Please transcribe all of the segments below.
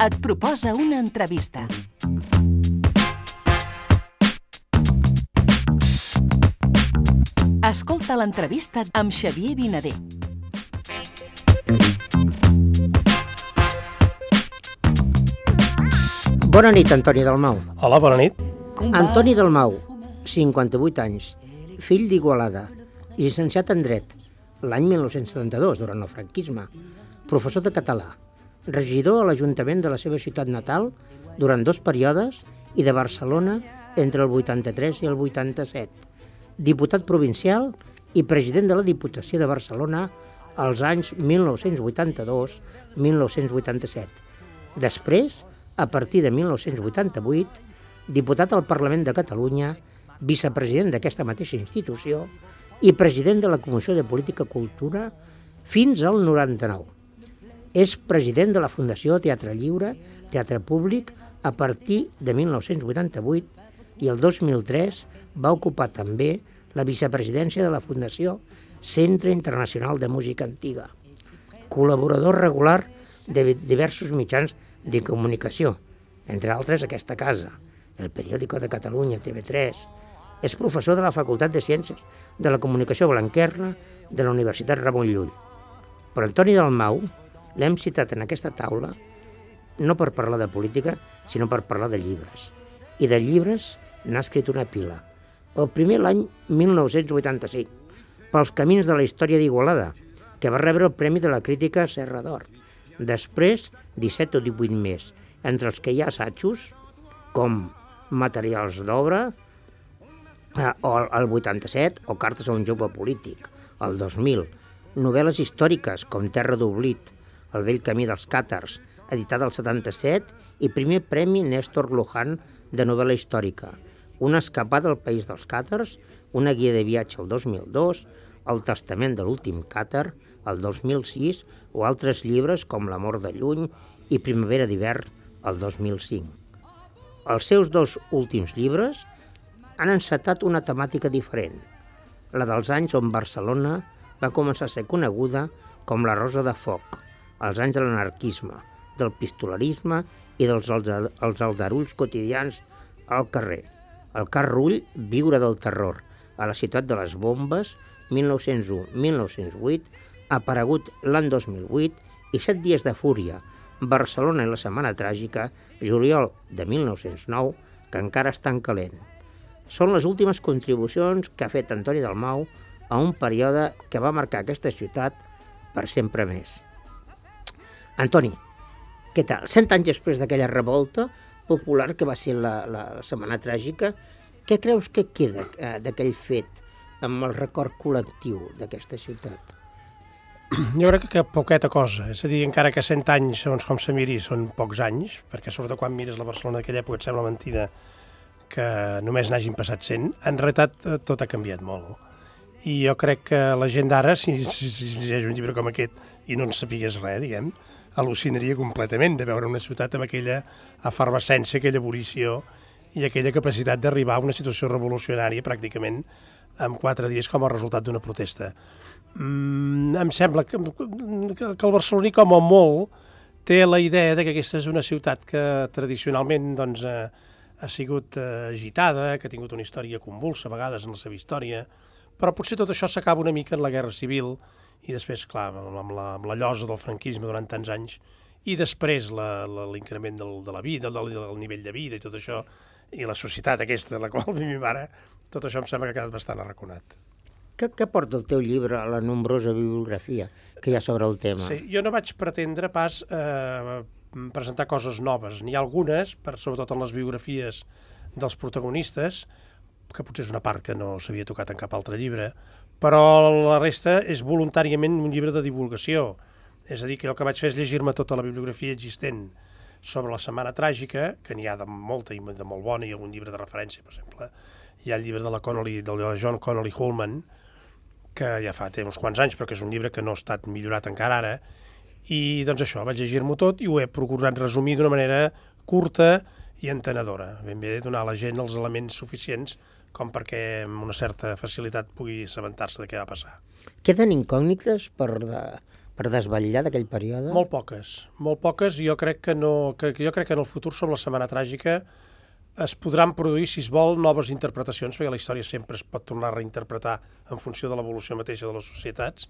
et proposa una entrevista. Escolta l'entrevista amb Xavier Vinader. Bona nit, Antoni Dalmau. Hola, bona nit. Antoni Dalmau, 58 anys, fill d'Igualada, llicenciat en Dret, l'any 1972, durant el franquisme, professor de català, regidor a l'Ajuntament de la seva ciutat natal durant 2 períodes i de Barcelona entre el 83 i el 87, diputat provincial i president de la Diputació de Barcelona als anys 1982-1987. Després, a partir de 1988, diputat al Parlament de Catalunya, vicepresident d'aquesta mateixa institució i president de la Comissió de Política Cultura fins al 99. És president de la Fundació Teatre Lliure, Teatre Públic, a partir de 1988 i el 2003 va ocupar també la vicepresidència de la Fundació Centre Internacional de Música Antiga. Col·laborador regular de diversos mitjans de comunicació, entre altres aquesta casa, el Periódico de Catalunya, TV3. És professor de la Facultat de Ciències de la Comunicació Blanquerna de la Universitat Ramon Llull. Però Antoni Dalmau l'hem citat en aquesta taula no per parlar de política, sinó per parlar de llibres. I de llibres n'ha escrit una pila. El primer l'any 1985, Pels camins de la història d'Igualada, que va rebre el Premi de la Crítica Serra d'Or. Després, 17 o 18 més, entre els que hi ha assajos, com Materials d'obra, el 87, o Cartes a un jove polític, el 2000, novel·les històriques com Terra d'oblit, El vell camí dels càtars, editat al 77, i primer Premi Néstor Luján de novel·la històrica, Una escapada al país dels càtars, una guia de viatge el 2002, El testament de l'últim càtar, el 2006, o altres llibres com L'amor de lluny i Primavera d'hivern, el 2005. Els seus 2 últims llibres han encetat una temàtica diferent, la dels anys on Barcelona va començar a ser coneguda com la Rosa de Foc, els anys de l'anarquisme, del pistolerisme i dels aldarulls quotidians al carrer. El Car Rull, Viure del terror, a la ciutat de les bombes, 1901-1908, aparegut l'any 2008, i 7 dies de fúria, Barcelona i la setmana tràgica, juliol de 1909, que encara estan calent. Són les últimes contribucions que ha fet Antoni Dalmau a un període que va marcar aquesta ciutat per sempre més. Antoni, què tal? 100 anys després d'aquella revolta popular que va ser la setmana tràgica, què creus que queda d'aquell fet amb el record col·lectiu d'aquesta ciutat? Jo crec que poqueta cosa, és a dir, encara que 100 anys, segons com se miri, són pocs anys, perquè sobretot quan mires la Barcelona d'aquella època et sembla mentida que només n'hagin passat 100, en realitat tot ha canviat molt. I jo crec que la gent d'ara, si llegeix un llibre com aquest i no en sapigués res, diguem, al·lucinaria completament de veure una ciutat amb aquella efervescència, aquella ebullició i aquella capacitat d'arribar a una situació revolucionària pràcticament en 4 dies com a resultat d'una protesta. Em sembla que el barceloní, com a molt, té la idea que aquesta és una ciutat que tradicionalment doncs, ha sigut agitada, que ha tingut una història convulsa a vegades en la seva història, però potser tot això s'acaba una mica en la Guerra Civil i després, clar, amb la llosa del franquisme durant tants anys i després l'increment de la vida, del nivell de vida i tot això, i la societat aquesta de la qual vivim ara, tot això em sembla que ha quedat bastant arraconat. Què porta el teu llibre a la nombrosa bibliografia que hi ha sobre el tema? Sí, jo no vaig pretendre pas presentar coses noves. N'hi ha algunes, sobretot en les biografies dels protagonistes, que potser és una part que no s'havia tocat en cap altre llibre, però la resta és voluntàriament un llibre de divulgació. És a dir, que el que vaig fer és llegir-me tota la bibliografia existent sobre la Setmana Tràgica, que n'hi ha de molta i de molt bona, i algun llibre de referència, per exemple. Hi ha el llibre de la John Connolly Hullman, que ja fa uns quants anys, però que és un llibre que no ha estat millorat encara ara, i doncs això, vaig llegir-m'ho tot i ho he procurat resumir d'una manera curta i entenedora. Ben bé donar a la gent els elements suficients com perquè amb una certa facilitat pugui assabentar-se de què va passar. Queden incògnites per per desvetllar d'aquell període? Molt poques. Jo crec que en el futur sobre la Setmana Tràgica es podran produir, si es vol, noves interpretacions, perquè la història sempre es pot tornar a reinterpretar en funció de l'evolució mateixa de les societats,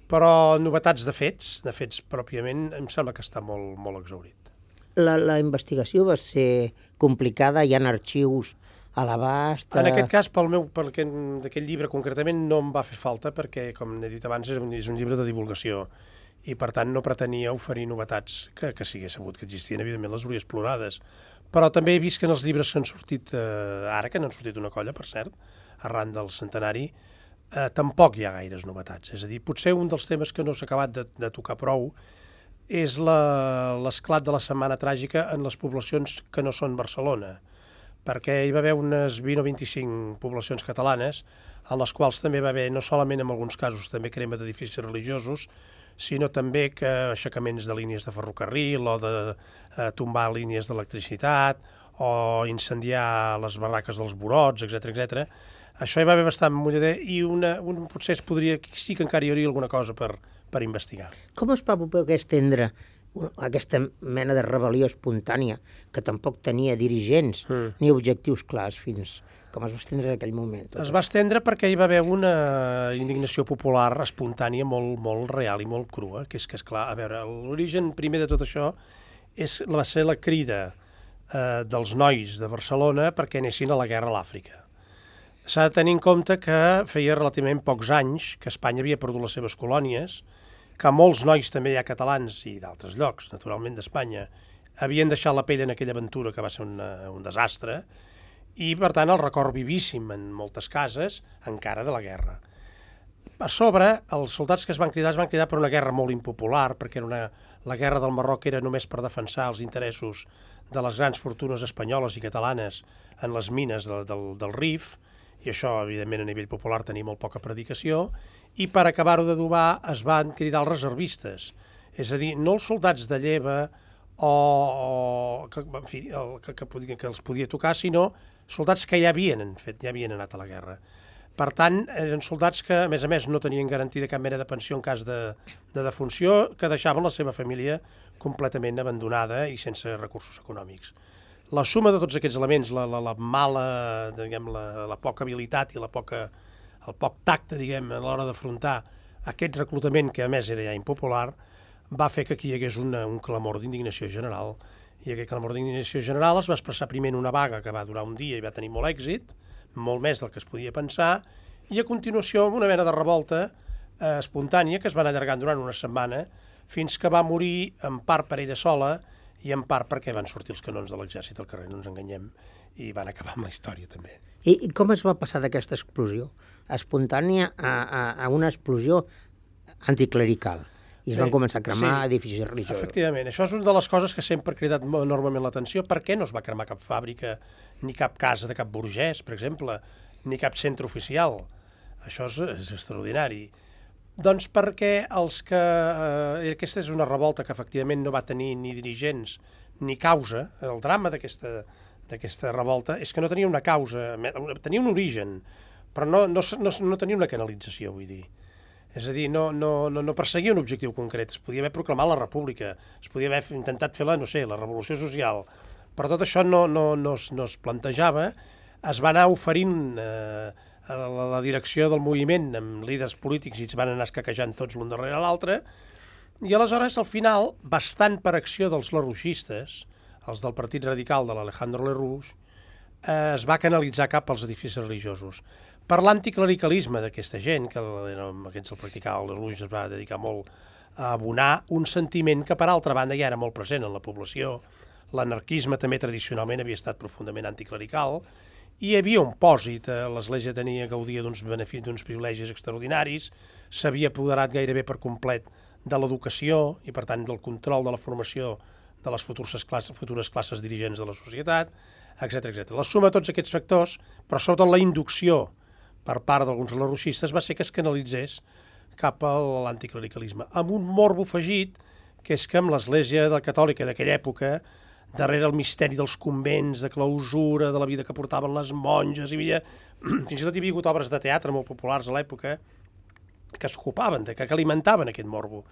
però novetats de fets pròpiament, em sembla que està molt, molt exhaurit. La investigació va ser complicada, hi ha arxius a l'abast... En aquest cas, d'aquest llibre concretament, no em va fer falta, perquè, com he dit abans, és un llibre de divulgació, i per tant no pretenia oferir novetats que sigués sabut que existien, evidentment les hauria explorades. Però també he vist que en els llibres que han sortit ara, que n'han sortit una colla, per cert, arran del centenari, tampoc hi ha gaires novetats. És a dir, potser un dels temes que no s'ha acabat de tocar prou és l'esclat de la Setmana Tràgica en les poblacions que no són Barcelona, perquè hi va haver unes 20 o 25 poblacions catalanes en les quals també va haver, no solament en alguns casos, també crema d'edificis religiosos, sinó també que aixecaments de línies de ferrocarril o de tombar línies d'electricitat o incendiar les barraques dels Borots, etc. Això hi va haver bastant mullader i potser sí que encara hi hauria alguna cosa per investigar. Com es va poder estendre aquesta mena de rebel·lió espontània que tampoc tenia dirigents ni objectius clars fins... Com es va estendre en aquell moment? Es va estendre perquè hi va haver una indignació popular espontània molt real i molt crua, que és que, esclar, a veure, l'origen primer de tot això va ser la crida dels nois de Barcelona perquè anessin a la guerra a l'Àfrica. S'ha de tenir en compte que feia relativament pocs anys que Espanya havia perdut les seves colònies, que molts nois també hi ha catalans i d'altres llocs, naturalment d'Espanya, havien deixat la pell en aquella aventura que va ser un desastre, i, per tant, el record vivíssim en moltes cases encara de la guerra. A sobre, els soldats que es van cridar per una guerra molt impopular, perquè la guerra del Marroc era només per defensar els interessos de les grans fortunes espanyoles i catalanes en les mines del Rif, i això, evidentment, a nivell popular tenia molt poca predicació, i per acabar-ho d'adobar es van cridar els reservistes, és a dir, no els soldats de lleva que els podia tocar, sinó soldats que ja havien anat a la guerra. Per tant, eren soldats que, a més, no tenien garantida cap mena de pensió en cas de defunció, que deixaven la seva família completament abandonada i sense recursos econòmics. La suma de tots aquests elements, la mala, diguem, la poca habilitat i el poc tacte, diguem, a l'hora d'afrontar aquest reclutament, que a més era ja impopular, va fer que aquí hi hagués un clamor d'indignació general. I aquest clamor d'indignació general es va expressar primer en una vaga que va durar un dia i va tenir molt èxit, molt més del que es podia pensar, i a continuació una mena de revolta espontània que es va anar allargant durant una setmana fins que va morir en part per ella sola i en part perquè van sortir els canons de l'exèrcit al carrer, no ens enganyem, i van acabar amb la història també. I com es va passar d'aquesta explosió espontània a una explosió anticlerical? I es van començar a cremar edificis religiosos. Efectivament, això és una de les coses que sempre ha cridat enormement l'atenció. Per què no es va cremar cap fàbrica, ni cap casa de cap burgès, per exemple, ni cap centre oficial? Això és extraordinari. Doncs perquè aquesta és una revolta que efectivament no va tenir ni dirigents ni causa. El drama d'aquesta revolta és que no tenia una causa, tenia un origen, però no tenia una canalització, vull dir. És a dir, no perseguia un objectiu concret. Es podia haver proclamat la república, es podia haver intentat fer la revolució social, però tot això no es plantejava. Es va anar oferint a la direcció del moviment amb líders polítics i es van anar escaquejant tots l'un darrere l'altre, i aleshores, al final, bastant per acció dels lerrouxistes, els del Partit Radical de l'Alejandro Lerroux, es va canalitzar cap als edificis religiosos. Per l'anticlericalisme d'aquesta gent, que aquests el practicava, el Lerroux es va dedicar molt a abonar un sentiment que, per altra banda, ja era molt present en la població. L'anarquisme també tradicionalment havia estat profundament anticlerical, i hi havia un pòsit. L'Església gaudia d'uns privilegis extraordinaris, s'havia apoderat gairebé per complet de l'educació i, per tant, del control de la formació de les futures classes dirigents de la societat, etc. La suma de tots aquests factors, però sobretot la inducció per part d'alguns lerrouxistes, va ser que es canalitzés cap a l'anticlericalisme, amb un morbo afegit, que és que amb l'Església catòlica d'aquella època, darrere el misteri dels convents, de clausura, de la vida que portaven les monges, fins i tot hi havia hagut obres de teatre molt populars a l'època, es copaven, que alimentaven aquest morbo.